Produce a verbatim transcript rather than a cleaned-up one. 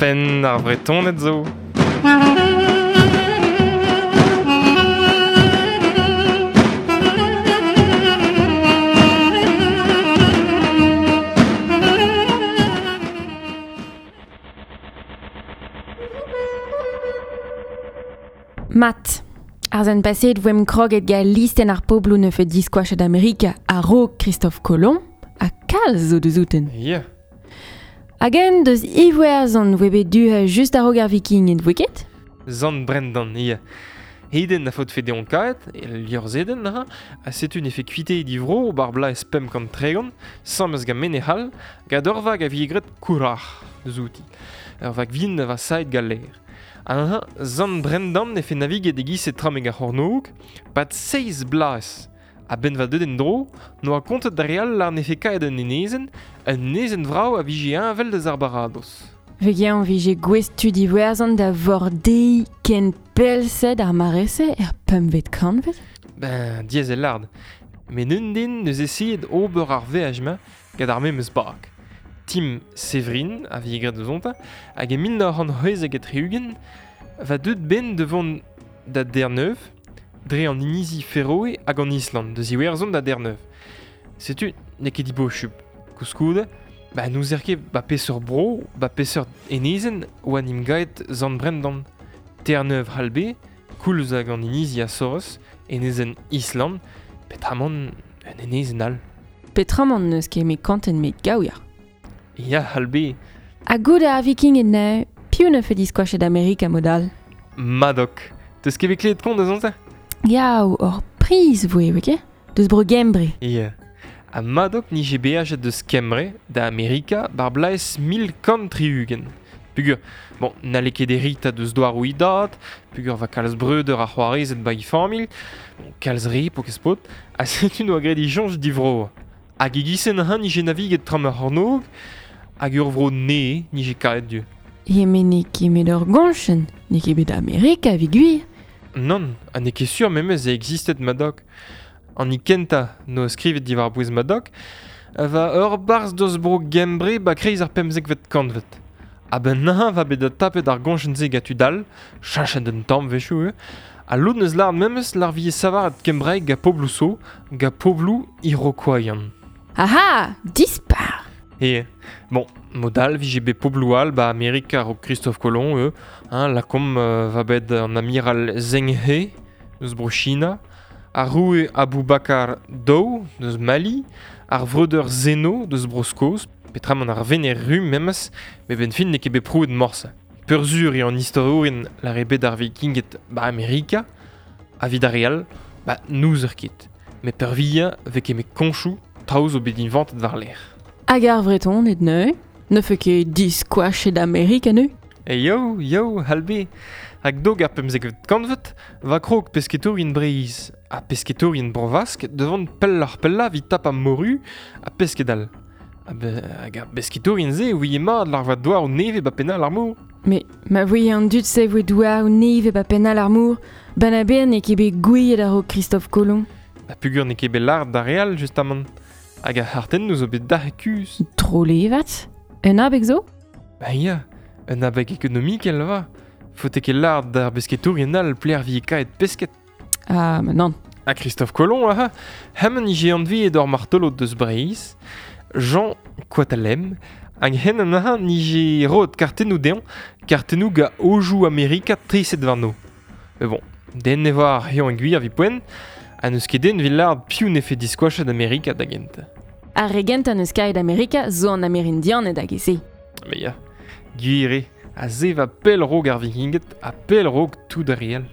Penn ar Vretoned zo. Mat, ar zen paseet voem kroget ga listen ar poblou ne fet diskoachet Amerika a-raok Christophe Colomb ha kalz zo deus outen. Yeah. Hag-en deus Iwerzhon voe bet du just a-raok ar vikinged, voe ket? Zant Brendan, yeah. Heden a faot fe deon kaet, e liorzheden, ha, a setu ne fe kuite e divro bar blaez pemp kant tregont, samez gant mene hall, gant ur vag a vi egret kourac'h deus outi. Ur vag vin a va saet galer. An Zant Brendan ne fe naviget e giz e trameg ar c'hornog, pad seiz blaz. A ben va deut en dro, noa kontet da real ar ne fe kaet un enezen, un enezen vrao a vije envel deus ar baradoz. Vegean vije gouest tud Iwerzhon da vordei ken pellsed ar marese er pempvet kantved? Ben, diaes e lard. Met un den neus essayet ober ar veaj-ma gant ar memes bag. Tim Severin, a vi egret deus onta, hag e mil nav c'hant c'hwezek ha tri-ugent, va deut ben de vont da Terre-Neuve, dre an inizi Feroe hag an Island, deus Iwerzhon da Terre-Neuve. Setu n'eo ket dibochup. Koulskoude, ba n'ouzer ket ba peseurt bro, ba peseurt enezenn oa n'im gaet Zant Brendan. Terre-Neuve c'hall be, koulz hag an inizi Azores, enezenn Island, petramant un enezenn all. Petramant n'eus ket met kanten met gaouier. Ya, c'hall be. Ha goude ar vikinged neuze, piv ne fe diskoachet Amerika mod-all? Madoc. Teus ket bet klevet kont deus onte? Ya, ur priz voe, voe ket? Deus bro Gembre. Ya. Ha Madoc nije beajet deus Kembre da Amerika bar blaez mil kant tri-ugent. Pugur, bon, n'halle ket erita deus douaroù e dad, pugur va kalz breudeur ar c'hoarezed ba e familh, bon, kalz re po ket spot, ha setu noa graet e soñj divro. Hag e gizen han nije naviget tram ar c'hornôg, hag ur vro ne nije kaet du. E met n'eo ket met ur goñchenn, n'eo ket bet Amerika evit gwir. Non, ha n'eo ket sur memes e existet Madoc. An i kentañ no skrivet diwar bouez Madoc, va ur barzh deus bro Gembre ba kreiz ar pemzekvet kantved. A ben nañ va bet da tapet ar goñchenn-se gant tud all, chachet un tamm wechoù eo, ha lod neus lâret memes lar vie savaret kembraeg ga pobloù so, ga pobloù iroquoian. Aha, dispar! E, bon, mod all vije bet pobloù all ba Amerika a-raok Christophe Colomb eo, hein, lakomp euh, va bet an amiral Zheng He deus bro China, ar roue Abou Bakar Daou deus Mali, ar vreudeur Zeno deus bro Skos, petramant ar vener ru memes, met ben fin n'eo ket bet prouet morse. Peurzur eo an istorourien lar eo bet ar vikinged ba Amerika, ha evit ar re all, ba n'ouzer ket. Met peurvuiañ vez ket met koñchoù traoù zo bet inventet war-lerc'h. Hag ar Vretoned neuze, ne fe ket diskoachet Amerika neuze? E yo, yo, c'hall be. Hag dog ar pemzekvet kantved, va krog pesketourien Breizh ha pesketourien Bro-Vask devant pelloc'h pellañ evit tapañ moru ha pesked all. Ha be, hag ar pesketourien-se ouie mat lar va douaroù nevez ba pennal ar mor. Mais ma voe an dud se voe douaroù nevez ba pennal ar mor, ben a ber n'eo ket bet gouiet a-raok Christophe Colomb. Ha pugur n'eo ket bet lâret d'ar re all, justamant. Hag ar c'hartennoù zo bet dac'h kuzh. Trolevat? Un abeg zo? Ba ya, un abeg ekonomikel va. Faote ket lâret d'ar besketourien all pler vi kaet pesked. Ah, ma nann. Ha Christophe Colomb, aha, hemañ nije anveet ur martolod deus Breizh, Jean Coatalem, hag hen an aha nije roet kartennoù dezhañ, kartennoù ga ojoù Amerika treset warno. Mais bon, den ne vo ar c'hiañ gwir evit poent, ha n'eus ket den evit lâret piv ne fe diskoachet Amerika da gentañ. Ar re gentañ n'eus kaet Amerika zo an Amerindianed hag e se. Mais ya, gwir eo, ha se va pell raok ar vikinged ha pell raok tout ar re all.